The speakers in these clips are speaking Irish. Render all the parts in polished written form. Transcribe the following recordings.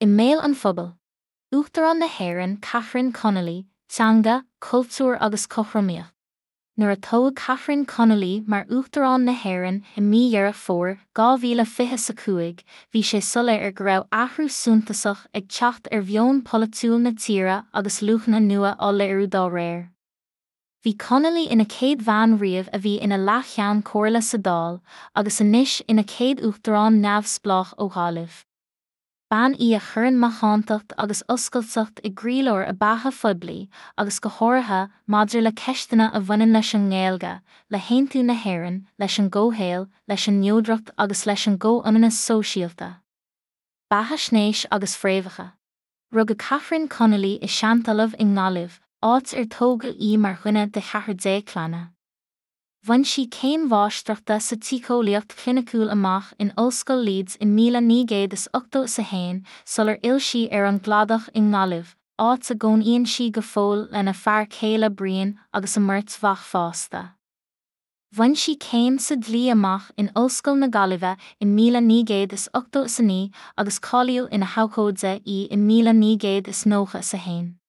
I mbéal an phobail. Uachtarán na hÉireann Catherine Connolly, Teanga, Cultúr agus Cothromaíocht. Nuair a toghadh Catherine Connolly mar Uachtarán na hÉireann i mí Dheireadh Fómhair 2025, bhí sé soiléir go raibh athrú suntasach ag teacht ar mheon polaitiúil na tíre agus luachanna nua á léiriú dá réir. Bhí Connolly ina céad bhean riamh a bhí ina Leas-Cheann Comhairle sa Dáil, agus anois ina céad Uachtarán neamhspleách ó Ghaillimh. Bean í a chuireann macántacht agus oscailteacht i gcroílár a beatha phoiblí, agus go háirithe maidir le ceisteanna a bhaineann leis an nGaeilge, le haontú na hÉireann, leis an gcomhshaol, leis an neodracht agus leis an gcomhionannas sóisialta. Beathaisnéis agus fréamhacha. Rugadh Catherine Connolly i Seantalamh i nGaillimh, áit ar tógadh í mar dhuine de cheathrar déag clainne. Bhain sí céim mháistreachta sa tsíceolaíocht chliniciúil amach in Ollscoil Leeds i 1981 sular fhill sí ar an gCladach i nGaillimh, áit a gcónaíonn sí go fóill lena fear céile Brian agus a mbeirt mhac fásta. Bhain sí céim sa dlí amach in Ollscoil na Gaillimhe i 1989 agus cáilíodh ina habhcóide í i 1991.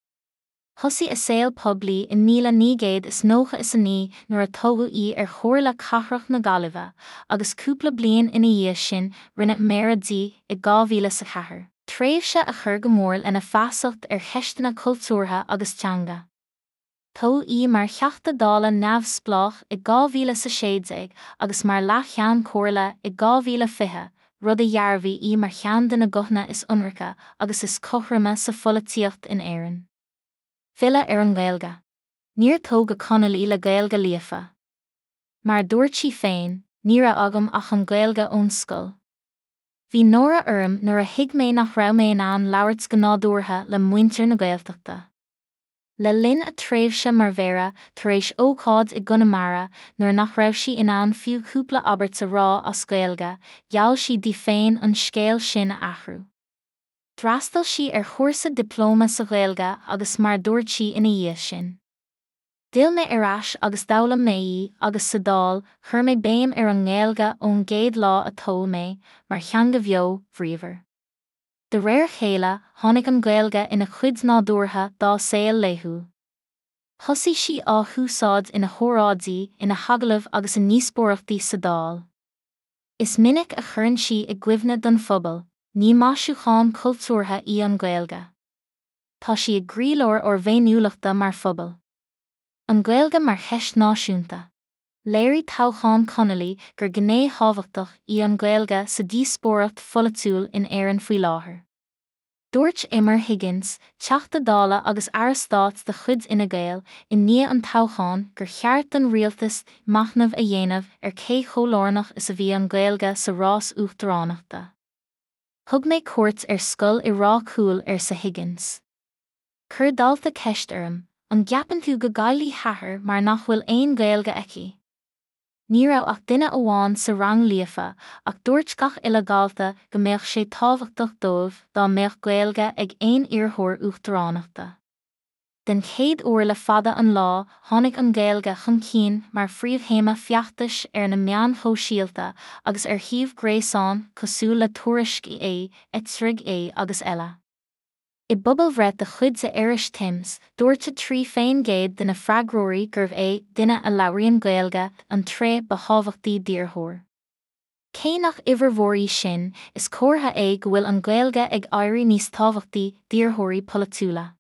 Thosaigh a saol poiblí i 1999 nuair a toghadh í ar Chomhairle Cathrach na Gaillimhe agus cúpla bliain ina dhiaidh sin rinneadh Méara di i 2004. Tréimhse a chuir go mór lena feasacht ar cheisteanna cultúrtha agus teanga. Toghadh í mar Theachta Dála neamhspleách i 2016 agus mar Leas-Cheann Comhairle i 2020, rud a dhearbhaigh í mar cheann de na guthanna is ionraice agus is cothroime sa pholaitíocht in Éirinn. Filleadh ar an nGaeilge. Níor tógadh Connolly le Gaeilge líofa. Mar a dúirt sí féin, ní raibh agam ach an Ghaeilge ón scoil. Bhí náire orm nuair a thuig mé nach raibh mé in ann labhairt go nádúrtha le muintir na Gaeltachta. Le linn a tréimhse mar mhéara, tar éis ócáid i gConamara nuair nach raibh sí in ann fiú cúpla abairt a rá as Gaeilge, gheall sí di féin an scéal sin a athrú. D'fhreastail sí ar chúrsa dioplóma sa Ghaeilge agus mar a dúirt sí ina dhiaidh sin. D'fhill mé ar ais agus d'fhoghlaim mé í agus sa Dáil chuir mé béim ar an nGaeilge ón gcéad lá a toghadh mé, mar theanga bheo, bhríomhar. De réir a chéile, tháinig an Ghaeilge ina cuid nádúrtha dá saol laethúil. Thosaigh sí á húsáid ina hóráidí, ina hagallaimh agus i ndíospóireachtaí sa Dáil. Is minic a chuireann sí i gcuimhne don phobal, ní maisiúchán cultúrtha í an Ghaeilge. Tá sí i gcroílár ár bhféiniúlachta mar phobal. An Ghaeilge mar cheist náisiúnta. Léirigh toghchán Connolly gur gné thábhachtach í an Ghaeilge sa díospóireacht pholaitiúil in Éirinn faoi láthair. Dúirt Emer Higgins, Teachta Dála agus Aire Stáit de chuid Fhine Gael, i ndiaidh an toghcháin gur cheart don rialtas machnamh a dhéanamh ar cé chomh lárnach is a bhí an Ghaeilge sa rás uachtaránachta. Thug mé cuairt ar scoil i Ráth Cúil, arsa Higgins. Chuir dalta ceist orm, an gceapann tú go gcaillfidh t'athair mar nach bhfuil aon Ghaeilge aici? Ní raibh ach duine amháin sa rang líofa ach dúirt gach uile dhalta go mbeadh sé tábhachtach dóibh dá mbeadh Gaeilge ag aon iarrthóir uachtaránachta. Den chéad uair le fada an lá tháinig an Ghaeilge chun cinn mar phríomhthéama feachtais ar na meáin shóisialta agus ar shuímh gréasáin cosúil le Tuairisc.ie, RnaG agus eile. I bpobalbhreith de chuid The Irish Times, dúirt 3% de na freagróirí gurbh é duine a labhraíonn Gaeilge an tréith ba thábhachtaí d'iarrthóir. Cé nach uimhir mhór í sin, is comhartha é go bhfuil an Ghaeilge ag éirí níos tábhachtaí d'iarrthóirí polaitiúla.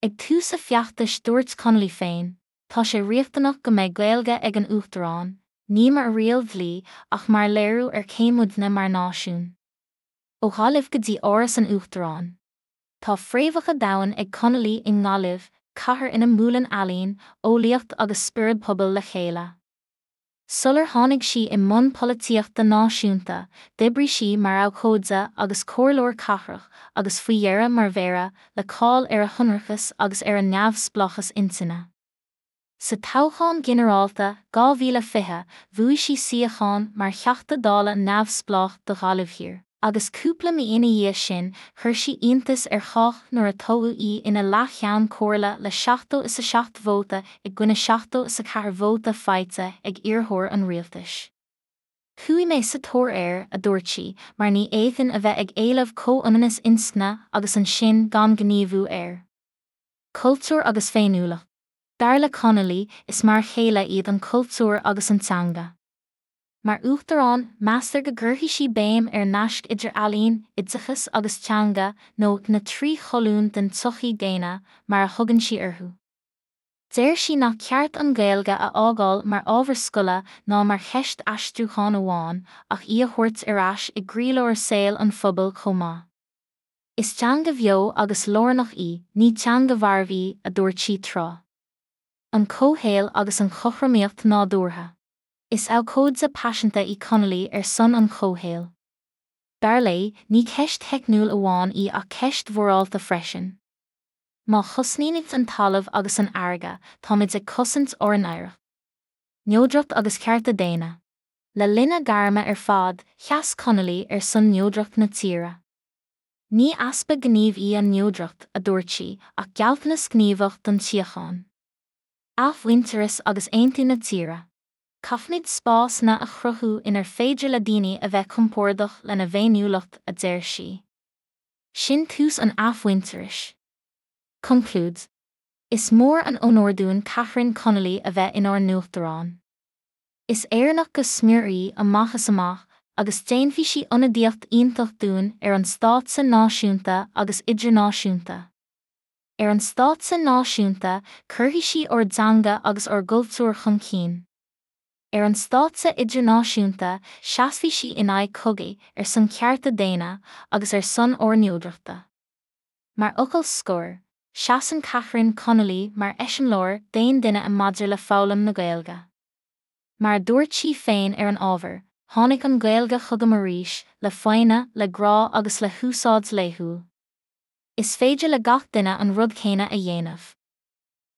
Ag tús a feachtais dúirt Connolly féin, Tá sé riachtanach go mbeidh Gaeilge ag an Uachtarán, ní mar riail dlí ach mar léiriú ar cé muidne mar náisiún. Ó Ghaillimh go dtí Áras an Uachtaráin. Tá fréamhacha domhain ag Connolly i nGaillimh, cathair ina mbuaileann ealaín, eolaíocht agus spiorad pobail le chéile. Sular tháinig sí i mbun polaitíochta náisiúnta, d'oibrigh sí mar abhcóide agus comhairleoir cathrach agus faoi dheireadh mar mhéara, le cáil ar a hionracas agus ar a neamhspleáchas intinne. Sa toghchán ginearálta 2020, bhuaigh sí suíochán mar Theachta Dála neamhspleách do Ghaillimh Thiar, agus cúpla mí ina dhiaidh sin chuir sí iontas ar chách nuair a toghadh í ina Leas-Cheann Comhairle le 77 vóta i gcoinne 74 vóta faighte ag iarrthóir an rialtais. Chuaigh mé sa tóir air, a dúirt sí, mar ní fhéadfainn a bheith ag éileamh comhionannas inscne agus ansin gan gníomhú air. Cultúr agus féiniúlacht. Dar le Connolly, is mar a chéile iad an cultúr agus an teanga. Mar Uachtarán, meastar go gcuirfidh sí béim ar naisc idir ealaín, oideachas agus teanga, nó 'na trí cholún den tsochaí dhaonna', mar a thugann sí orthu. Deir sí nach ceart an Ghaeilge a fhágáil mar ábhar scoile ná mar cheist aistriúcháin amháin, ach í a thabhairt ar ais i gcroílár saol an phobail chomh maith. Is teanga bheo agus lárnach í, ní teanga mharbh í, a dúirt sí tráth. An comhshaol agus an chothromaíocht nádúrtha. Is abhcóide paiseanta í Connolly ar son an chomhshaoil. Dar léi, ní ceist theicniúil amháin í ach ceist mhorálta freisin. Má chosnaímid an talamh agus an fharraige, táimid ag cosaint ár n-oidhreacht. Neodracht agus cearta daonna. Le linn a gairme ar fad, sheas Connolly ar son neodracht na tíre. Ní easpa gnímh í an neodracht, a dúirt sí, ach gealltanas gníomhach don tsíocháin. Athmhuintearas agus aontú na tíre. Caithfimid spásanna a chruthú inar féidir le daoine a bheith compordach lena bhféiniúlacht, a deir sí. Sin tús an athmhuintearais. Conclúid. Is mór an onóir dúinn Catherine Connolly a bheith inár nUachtarán. Is Éireannach go smior í, amach is amach, agus déanfaidh sí ionadaíocht iontach dúinn ar an stáitse náisiúnta agus idirnáisiúnta. Ar an stáitse náisiúnta, cuirfidh sí ár dteanga agus ár gcultúr chun cinn. Ar an stáitse idirnáisiúnta, seasfaidh sí in aghaidh cogaidh, ar son cearta daonna, agus ar son ár neodrachta. Mar fhocal scoir, seasann Catherine Connolly mar eiseamláir d'aon duine maidir le foghlaim na Gaeilge. Mar a dúirt sí féin ar an ábhar, tháinig an Ghaeilge chugam arís, le foighne, le grá agus le húsáid laethúil. Is féidir le gach duine an rud céanna a dhéanamh.